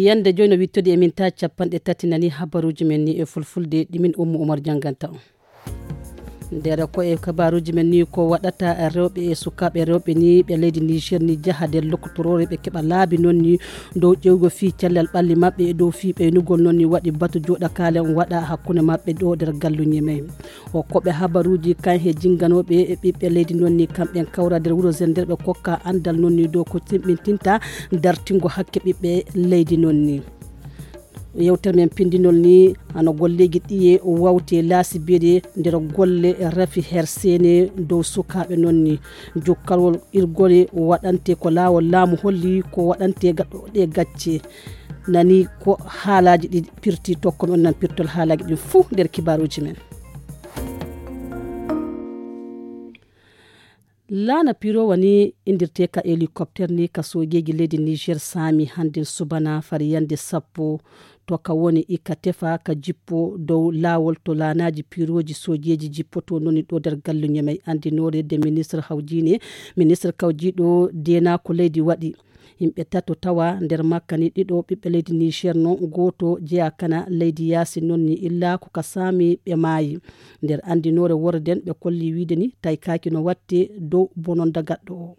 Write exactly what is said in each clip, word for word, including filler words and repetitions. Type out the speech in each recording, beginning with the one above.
Yande joy no wittode e min ta capanɗe tati nani habaruji men ni e fulfulde ɗi min Ummu Umar janganta on. Nder ko e kabaruji men ni ko waɗata rewɓe e sukaaɓe rewɓe ni ɓe leydi Niger ni jaha nder lokotorore ɓe keɓa laabi noon ni dow ƴewgo fii cellal ɓalli maɓɓe e dow fii ɓeynugol noon ni waɗi batu jooɗakaale on waɗa hakkunde maɓɓe ɗo nder galluñe men. O koɓe habaruji kan he jinganooɓe e ɓiɓɓe leydi noon ni kamɓen kawra nder wuro Zender ɓe kokka anndal noon ni dow ko timmintinta dartingo hakke ɓiɓɓe leydi noon ni. Yewtere men pindinol ni hano golleeji ɗiye wawte laasi beɗe nder golle rafi her seene dow sukaaɓe noon ni jokkalwol irgole waɗante ko laawol laamu holli ko waɗante gaɗɗo ɗe gacce. Nani ko haalaaji ɗi pirti tokko men nan pirtol haalaaji ɗin fuu nder kibaaruuji men. Laana pirowa ni indirte ka hélicoptère ni ka soojeeji leydi Niger saami hannden subana fari yande sappo to ka woni ika tefa ka jippo dow laawol to laanaaji pirooji soojeeji jippoto noni ɗo nder galluñe may anndinoore de ministre hawjiine ministre kawjiiɗo deenaako leydi waɗi. Yimɓe tato tawa nder makka ni ɗiɗo ɓiɓɓe leydi Niger non gooto jeya kana leydi yaasi non ni illa ko ka saami ɓe maayi. Nder anndinoore worden ɓe kolli wiide ni taykaaki no watte dow bononda gaɗɗo o.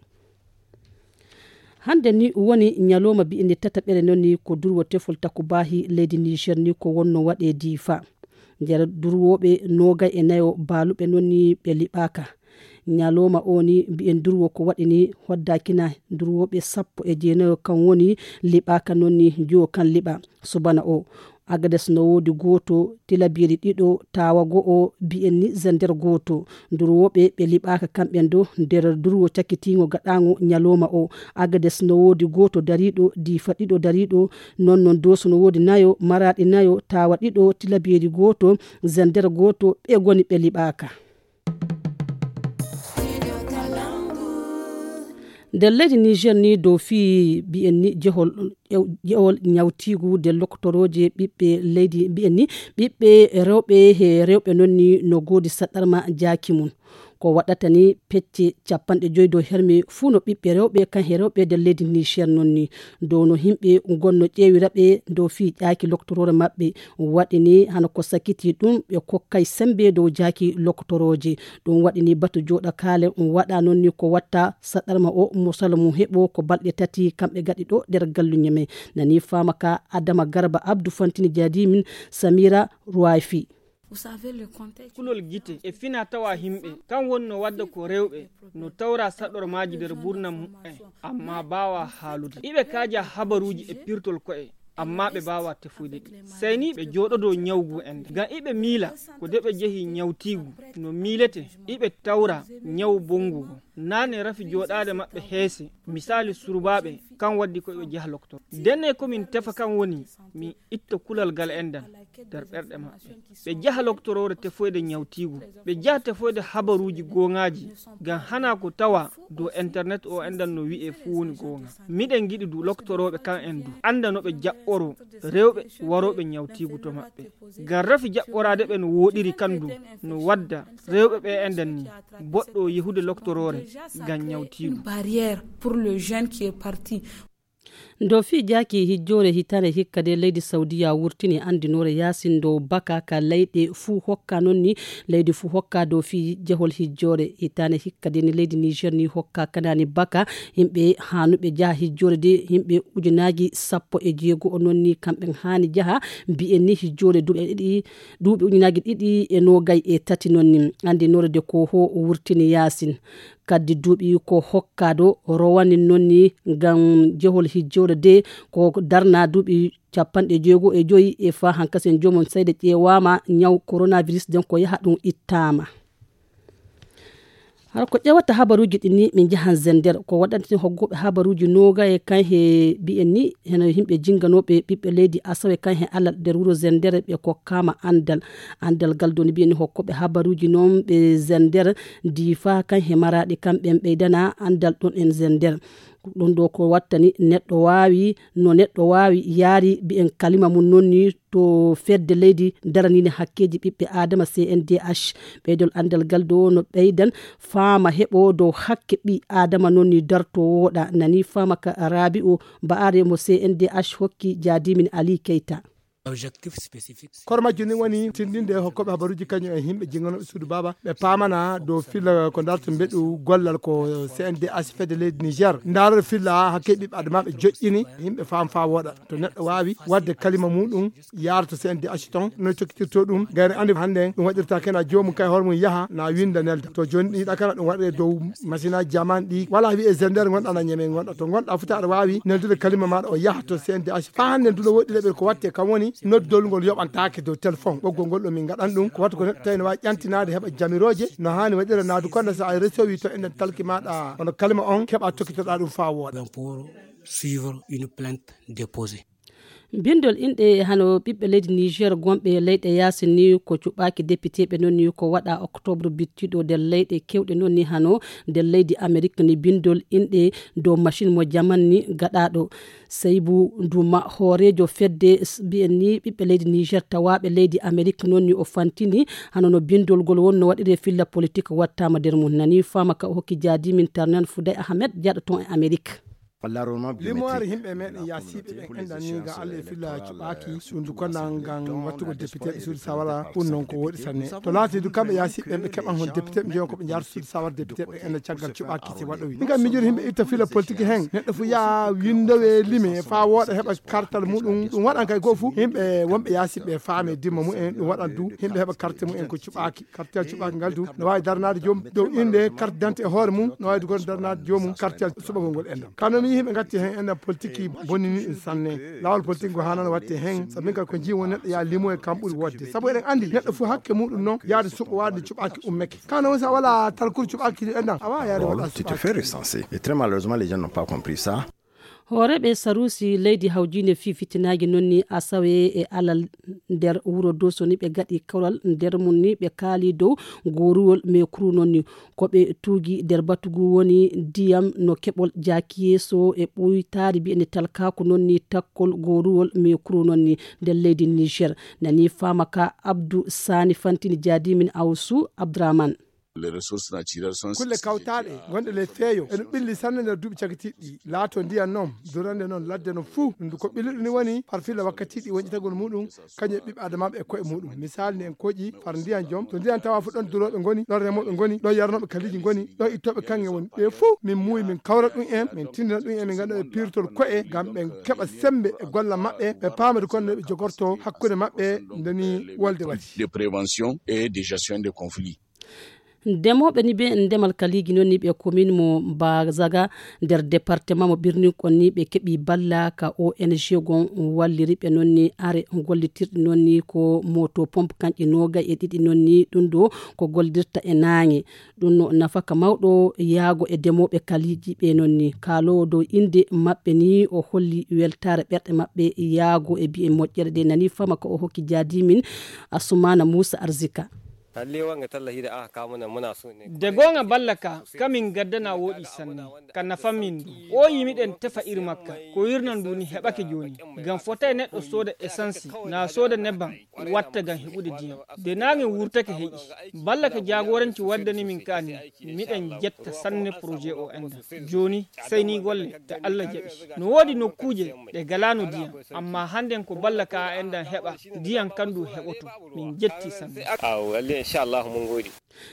Hannde ni woni ñalooma mbi'en ni tataɓere non ni ko durwo tefol takubaahi leydi Niger ni ko wonno waɗe diifa. Nder durwooɓe noogay e nayo baaluɓe non ni ɓe liɓaaka. Ñalooma o ni mbi'en durwo ko waɗi ni hoddakina durwooɓe sappo e jeenayo kan woni liɓaaka non ni jiwo kan liɓa subana o. Agades no woodi gooto, Tilabiri ɗiɗo, Taawa go'o, mbi'en ni Zender gooto. Durwooɓe ɓe liɓaaka kamɓen do nder durwo cakitiingo gaɗaango ñalooma o. Agades no woodi gooto dariiɗo, Diifa ɗiɗo dariiɗo, non non Dooso no woodi nayo, Maraaɗi nayo, Taawa ɗiɗo, Tilabiri gooto, Zender gooto, ɓe goni ɓe liɓaaka. Nder leydi Niger ni dow fii mbi'en ni jehol ƴew- ƴewol ñawtiigu nder lokotorooje ɓiɓɓe leydi mbi'en ni ɓiɓɓe rewɓe he rewɓe non ni no goodi saɗɗarma jaaki mum. Ko waɗata ni pecce capanɗe joyi dow herme fuu no ɓiɓɓe rewɓe kan he rewɓe nder leydi Niger non ni dow no yimɓe gonno ƴeewira ɓe dow fii ƴaaki lokotoroore maɓɓe. Waɗi ni hano ko sakiti ɗum ɓe kokkay sembe dow jaaki lokotorooje. Ɗum waɗi ni batu jooɗakaale um waɗa non ni ko watta saɗɗarma o mosala mum heɓo ko balɗe tati kamɓe gaɗi ɗo nder galluñe men. Nani faama ka Adama Garba Abdu Fantini Jadimin Samira Ruwayfi. Kulol gite e fina tawa himɓe kan woni no wadda ko rewɓe no tawra saɗɗormaaji nder burna mu'en amma baawa haalude iɓe kaaja habaruuji e pirtol ko'e amma ɓe baawa tefoyde ɗi. Sey ni ɓe jooɗodoo ñawgu en ngam iɓe miila ko de ɓe jehi ñawtiigu no miilete iɓe tawra ñawu bonngugo. Naane rafi jooɗaade maɓɓe heese misaali surbaaɓe kan waddi ko ɓe jeha loktor. Ndenne ko min tefa kan woni min itta kulal gal enɗan nder ɓerɗe maɓɓe. Ɓe jaha loktoroore tefoyde ñawtiigu, ɓe jaha tefoyde habaruuji gooŋaaji ngam hana ko tawa dow internet o enɗan no wi'e fuu woni gooŋa. Miɗen ngiɗi du loktorooɓe kan en du annda no ɓe jaɓɓoroo rewɓe warooɓe ñawtiigu to maɓɓe. Ngam rafi jaɓɓoraade ɓe no wooɗiri kan du no wadda rewɓe ɓe enɗan ni boɗɗo yehude loktoroore ngam ñawtiigu. Barrière pour le jeune qui est parti. Ndo fii jaaki hijjoore hitaande hikka de leydi Saudiya wurtini anndinoore yaasin dow baka ka leyɗe fuu hokka noon ni leydi fuu hokka dow fii jehol hijjoore hitaande hikka de ni leydi Niger ni hokka kanaani baka yimɓe haanuɓe jaha hijjoore de yimɓe ujunaaji sappo e jeego o noon ni kamɓe haani jaha mbiyen ni hijjoore duuɓi ɗiɗi duuɓi ujunaaji ɗiɗi e noogay e tati noon ni anndinoore de ko ho wurtini yaasin. Kaddi duuɓi ko hokkaado rowani noon ni ngam jehol hijjoore de ko darna duuɓi capanɗe jeego e joyi e fa hankasen joomum sayde ƴeewaama ñaw coronavirus den ko yaha ɗum ittaama. Hara ko ƴewata habaruuji ɗin ni min njahan zender ko waɗanten hoggooɓe habaruuji nooga e kan he mbiyen ni heno yimɓe jinnganooɓe ɓiɓɓe leydi asawe kan he alal nder wuro zender ɓe kokkaama anndal. Anndal ngal doni mbiyen ni hokkooɓe habaruuji noon ɓe zender diifa kan he maraaɗi kan ɓen ɓeydana anndal ɗon en zender. Ɗum ɗo ko wattani neɗɗo waawi, no neɗɗo waawi yaari mbiyen kalima mum noon ni to fedde leydi daraniinde hakkeeji ɓiɓɓe aadama C N D H. Ɓeydol anndal ngal ɗo no ɓeydan faama heɓo dow hakke ɓi aadama noon ni darto wooɗa. Nani faama ka Rabi'u Ba'are mo C N D H hokki Jaadimin Ali Keita. Koro majjum ni woni tinndinde hokkooɓe habaruuji kañum e yimɓe jinnganoɓe suudu baaba ɓe paamana dow filla ko darto mbeɗu gollal ko C N D H fedde leydi Niger. Ndaarore filla hakke ɓiɓɓe adamaaɓe joƴƴini yimɓe faam faa wooɗa. To neɗɗo waawi waɗde kalima muɗum yaara to C N D H ton no cokkitirto ɗum. Gayno anndi hannde ɗum waɗirta kena joomum kay hoore mum yaha na winnda nelda. To jooni ɗiɗa kala ɗum waɗre dow machine aji jaman ɗi wala wi'e zender gonɗa na ñeme gonɗa. To gonɗa foti aɗa waawi neldude kalima maɗa o yaha to C N D H. Faa hannde nduɗo woɗɗi leɓel ko watte kam woni noddol ngol yoɓantaake dow téléphone. Ɓoggol ngol ɗo min ngaɗan ɗum ko watta ko neɗɗo tawi no waawi ƴantinaade heɓa jamirooje no haani waɗira naadu konda so a resowi to enen talki maɗa hono kalima on keɓa tokkitoɗa ɗum faa wooɗa. Pour suivre une plainte déposée. Binndol inɗe hano ɓiɓɓe leydi Niger gonɓe leyɗe yaasi ni ko cuɓaaki depiteeɓe noon ni ko waɗa octobre bittiɗo nder leyɗe kewɗe noon ni hano nder leydi Amerik ni binndol inɗe dow machine mo jaman ni gaɗaɗo. Seybu Nduma hooreejo fedde s- mbiyen ni ɓiɓɓe leydi Niger tawaaɓe leydi Amerik noon ni o fantini hano no binndol ngol wonno waɗire filla politik wattama nder mum nani faama ka o hokki jaadimin Tarnan Fouday Ahmed jaɗo ton e Amerik. Limoore yimɓe meɗen yaasiiɓe ɓen enɗan ni ngam Allah e filla cuɓaaki ɗum du konna ngam wattugol député e suudu sawara ɗum noon ko woɗi sanne. To laati du kamɓe yaasiiɓe ɓen ɓe keɓan hon député ɓe njeyon ko ɓe njaarta suudu sawara député ɓe enɗan caggal cuɓaaki si waɗowi min kam mijoto yimɓe itta filla politique hen neɗɗo fu yaa windowe lime faa wooɗa heɓa kartal muɗum ɗum waɗan kay goo fu yimɓe wonɓe yaasiiɓe faame dimma mumen ɗum waɗan du yimɓe heɓa carte mumen ko cuɓaaki. Kartiyal cuɓaaki ngal du no waawi daranaade joom dow innde carte d'identité e hoore mum no waawi du gono daranaade joomum kartiyal suɓagol ngol enɗam kano mi yii ɓe ngatti heen enɗam politique bonnini ɗum sanne. Laawol politique ngo haanano watte heen sabu min kadi ko njii won neɗɗo yaa limo e kam ɓuri wodde sabu eɗen anndi neɗɗo fof hakke muɗum noon yaade suɓo waade cuɓaaki ummeke kano woni so a wala talkuru cuɓaaki enɗam a waawa yaade waɗa suɓaaki. Et très malheureusement les gens n'ont pas compris ça. Hooreeɓe saruusi leydi hawjiinde fii fitinaaji noon ni asawe e alal nder wuro Doso ni ɓe gaɗi kawral nder mum ni ɓe kaali dow gooruwol mekru noon ni ko ɓe tuugi nder batu ngu woni ndiyam no keɓol jaaki yeeso e ɓuytaari mbiyeende talkaaku noon ni takkol gooruwol mekru noon ni nder leydi Niger nani faama ka Abdu Sani fantini jaadimin Awsu Abdurahman. Kulle kawtaaɗe gonɗe ley feeyo eno ɓilli sanne nder duuɓi cagitiiɗi laato ndiyan noon durande noon ladde no fuu ndu ko ɓilluɗo ni woni par filla wakkatiiɗi woñƴitagol muɗum kañum e ɓiɓɓe adamaaɓe e koye muɗum misaali ni en koƴi far ndiyan joom to ndiyan tawa fu ɗon durooɓe ngoni ɗon remooɓe ngoni ɗon yarnooɓe kaliiji ngoni ɗon ittooɓe kaŋŋe woni ɓe fuu min muuyi min kawra ɗum en min tindina ɗum en min ngaɗa ɓe pirtol koye ngam ɓe keɓa semmbe e golla maɓɓe ɓe paama de konno ɓe jogorto hakkunde maɓɓe ndeni wolde waɗi. De prévention et de gestion de conflit. Ndemooɓe ni ɓe ndemal kaliiji noon ni ɓe commune mo Bazaga nder département mo Birninkon ni ɓe keɓi balla ka O N G gon walliri ɓe noon ni are gollitirɗi noon ni ko moto pompe kanƴi noogay e ɗiɗi noon ni ɗum ɗo ko gollidirta e naange ɗum no nafaka mawɗo yaago e ndemooɓe kaliiji ɓe noon ni kaaloowo dow innde maɓɓe ni o holli weltaare ɓerɗe maɓɓe yaago e biye moƴƴere ɗe nani fama ko o hokki jaadimin Asumana Moussa Arzika. De goonga balla ka kamin gaddana wooɗi sanne ka nafan min ndu o yimiɗen tefa iri makka ko wirna ndu ni heɓake jooni ngam fotay neɗɗo sooda esansi na sooda nebban watta ngam heɓude diyam de naange wurtake heƴi balla ka jaagoranci waddani min kaani miɗen jetta sanne projet o enda jooni sey ni golle ta allah jaɓi no woodi nokkuuje ɗe galano diyam amma hannden ko balla ka a endan heɓa diyam kandu heɓoto min jetti sanne.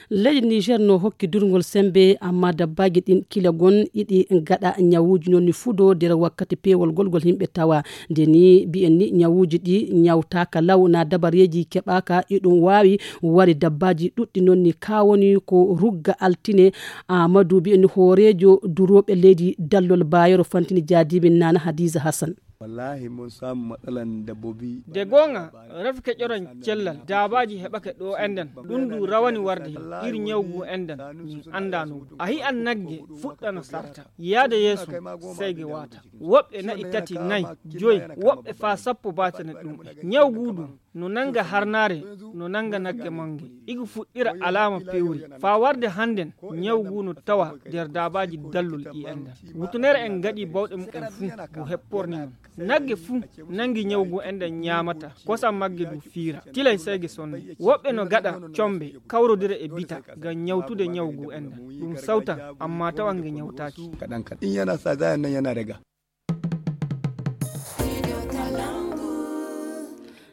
Leydi Niger no hokki durngol sembe amma dabbaaji ɗin kila gon iɗi gaɗa ñawuuji non ni fudo nder wakkati peewol golgol yimɓe tawa nde ni mbiyen ni ñawuuji ɗi ñawtaaka law na dabareeji keɓaaka iɗum waawi wari dabbaaji ɗuɗɗi non ni ka woni ko rugga altine. Amadou mbiyen ni hooreejo durooɓe leydi dallol baayoro fantini jaadimin nana hadiza hassan. Wallahi mun samu matsalan dabbobi. De goonga rafke ƴoran cellal daabaaji heɓake ɗo enɗan ɗum ndu rawani warde iri ñaw ngu enɗan min anndano a hi'an nagge fuɗɗana sarta yaade yeeso seyge waata woɓɓe na'i tati nayi joyi woɓɓe faa sappo baatana ɗum ñaw ngu ɗum. No nannga harnaare, no nannga nagge mannge. Igu fuɗɗira alaama pewri. Faa warde hannden, ñawu ngu no tawa nder daabaaji dallol ɗi enɗan. Wutunere en ngaɗi bawɗe mumen fuu, ngu hepporni non. Nagge fuu nanngi ñawu ngu enɗan ñaamata, kosam magge du fiira. Tilay seyge sonde. Woɓɓe no gaɗa combe, kawrodira e bita, ngam ñawtude ñawu ngu enɗan. Ɗum sawtan, ammaa tawa nge ñawtaaki. Kaɗan kaɗan. In yana sa, za nan yana raga.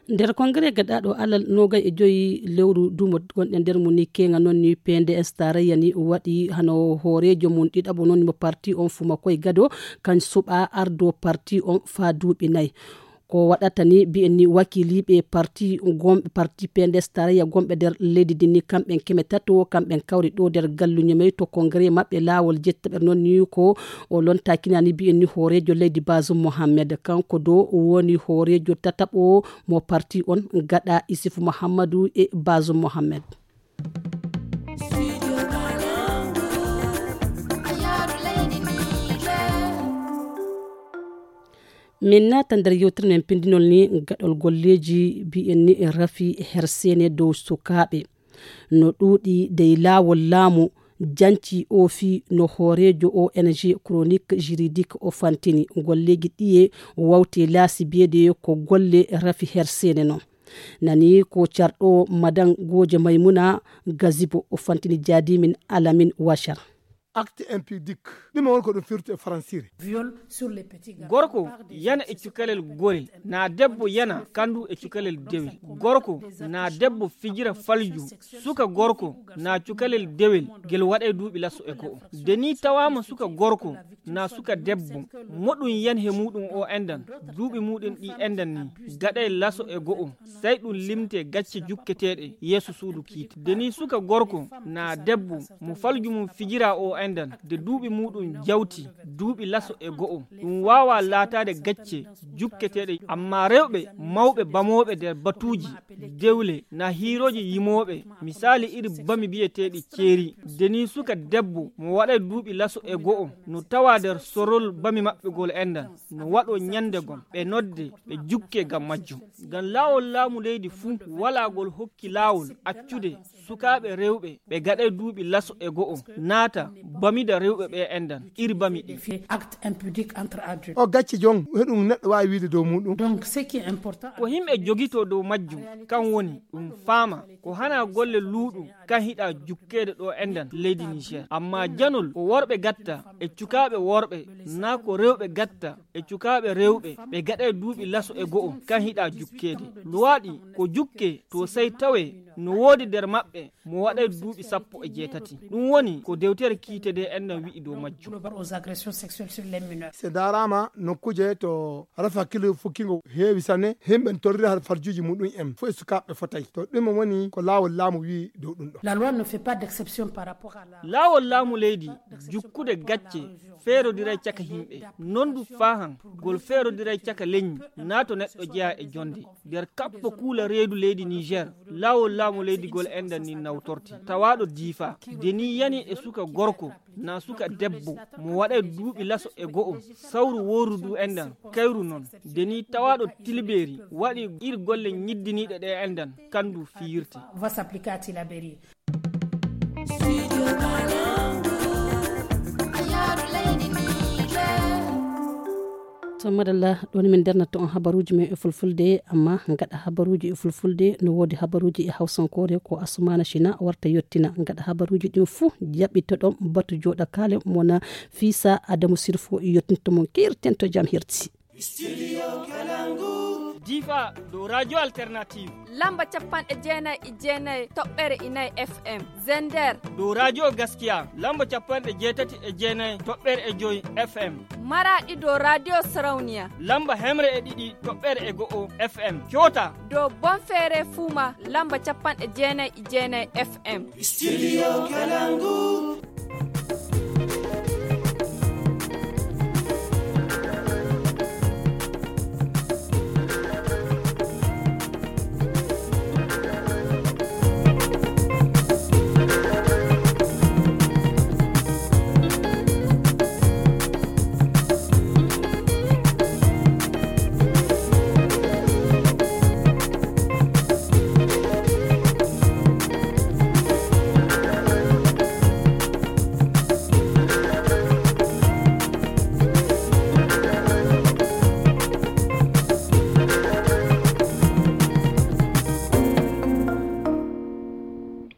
Nder kongre gaɗaaɗo alal noogay e joyi lewru dumo gonɗen nder mum ni, keeŋa noon ni P N D S tarayya ni waɗi hano hooreejo mum ɗiɗaɓo noon mo parti on Fumakoy Gado, kan suɓa ardo parti on faa duuɓi nay. Ko waɗata ni mbiyen ni wakiiliiɓe parti gom-, parti P N D S tarayya gomɓe nder leydi ndi ni, kamɓen keme tato, kamɓen kawri ɗo nder gallu Ñemey to kongre maɓɓe laawol jettaɓere noon ni ko o lontaakina ni mbiyen ni hooreejo leydi Bazoum Mohamed. Kanko do woni hooreejo tataɓo mo parti on gaɗa Issoufou Mahamadou e Bazoum Mohamed. Min naata nder yewtere men pindinol ni gaɗol golleeji mbiyen ni rafi herseene dow sukaaɓe. No ɗuuɗi dey laawol laamu janci o fii no hooreejo O N G Chronique Juridique o fantini golleeji ɗiye wawte laasi biyeede ko golle rafi herseene non. Nani ko carɗo Madan Gooje Maymuna Gazibo o fantini jaadimin Alamin Washar. Acte impudique. Ɗume woni ko ɗum firti e faransire? Gorko yana e cukalel gorel, na debbo yana kandu e cukalel dewel. Gorko na debbo fijira falju, suka gorko na cukalel dewel, gel waɗay duuɓi laso e go'o. De ni tawaama suka gorko na suka debbo, moɗum yan he muɗum o endan, duuɓi muɗum ɗi endan ni, gaɗay laso e go'o, sey ɗum limte gacce jukketeeɗe yeeso suudu kiite. De ni suka gorko na debbo mo falju mum fijira o endan, de duuɓi muɗum jawti duuɓi laso e go'o, ɗum waawa laataade gacce jukketeeɗe. Amma rewɓe mawɓe bamooɓe nder batuuji dewle na hiirooji yimooɓe, misaali iri bami biyeteeɗi ceeri. De ni suka debbo mo waɗay duuɓi laso e go'o no tawa nder sorol bami maɓɓe gol endan, no waɗo ñande gom, ɓe nodde, ɓe jukke ngam majjum. Ngam laawol laamu leydi fuu walaa gol hokki laawol accude sukaaɓe rewɓe ɓe gaɗay duuɓi laso e go'o naata bamida rewɓe ɓe endan, iri bami ɗi. Fait acte impudique entre adultes. O gacce jon, heɗum neɗɗo waawi wiide dow muɗum. Donc, ce qui est important, ko himɓe jogito dow majjum, kan woni ɗum faama ko hana golle luuɗum kan hiɗa jukkeede ɗo endan leydi Niger. Amma janol ko worɓe gatta e cukaaɓe worɓe, na ko rewɓe gatta e cukaaɓe rewɓe, ɓe gaɗay duuɓi laso e go'o kan hiɗa jukkeede. Luwaaɗi ko jukke to sey tawe no woodi nder maɓɓe mo waɗay duuɓi sappo e jeetati. Ɗum woni ko dewtere kiite de enɗan wi'i dow majjum. Global aux agressions sexuelles sur les mineurs. Se ndaaraama nokkuuje to rafi hakkille fukkingo heewi sanne, himɓe n torrira har farjuuji muɗum en fof e sukaaɓe fotay. To ɗum woni ko laawol laamu wi'i dow ɗum ɗo. La loi ne fait pas d'exception par rapport à la. Laawol laamu leydi jukkude gacce feerodiray caka himɓe. Non du faahan gol feerodiray caka leñi, na to neɗɗo jeyaa e jonde. Nder kaɓɓo kuula reedu leydi Niger, laawol laamu leydi gol enɗan ni nawtorte. Tawaaɗo Diifa, de ni yani e suka gorko, na suka debbo, mo waɗay duuɓi laso e go'o, sawru wooru du enɗan, kayru non. De ni tawaaɗo Tilbeeri, waɗi ir golle ñiddiniiɗe ɗe enɗan, kandu fiyirte. Va s'appliquer à Tilaberi. To madalla, ɗon min ndernata on habaruuji men e fulfulde, amma gaɗa habaruuji e fulfulde, no woodi habaruuji e hawsankoore ko Asumana Shina warta yottina. Gaɗa habaruuji ɗin fuu, jaɓɓitoɗon batu jooɗakaale mona Fisa Adamu Sirfo yottinto mon keerten to jam herti. Difa dow radio alternative. Lamba capanɗe jeenayi e jeenayi toɓɓere inayi F M. Zender. Dow radio Gaskiya. Lamba capanɗe jeetati e jeenayi toɓɓere e joyi F M. Maraɗi dow radio Sarauniya. Lamba hemre e ɗiɗi toɓɓere e go'o F M. Kyota. Dow Bonfere Fuma. Lamba capanɗe jeenayi e jeenayi F M. Studio Kalangu.